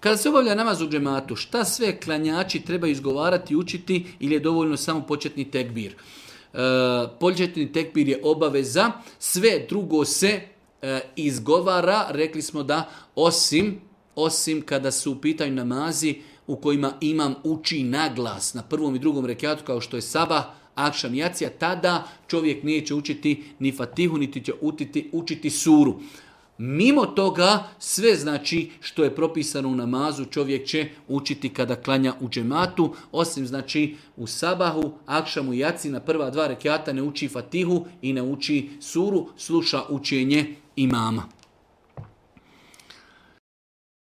Kada se obavlja namaz u džematu, šta sve klanjači treba izgovarati i učiti ili je dovoljno samo početni tekbir? Početni tekbir je obaveza, sve drugo se izgovara, rekli smo da osim kada su u pitanju namazi u kojima imam uči naglas na prvom i drugom rekatu kao što je sabah, akšam, jacija, tada čovjek neće učiti ni fatihu, niti će učiti suru. Mimo toga, sve znači što je propisano u namazu čovjek će učiti kada klanja u džematu, osim znači u sabahu, akšamu i jaci na prva 2 rekata ne uči fatihu i ne uči suru, sluša učenje imama.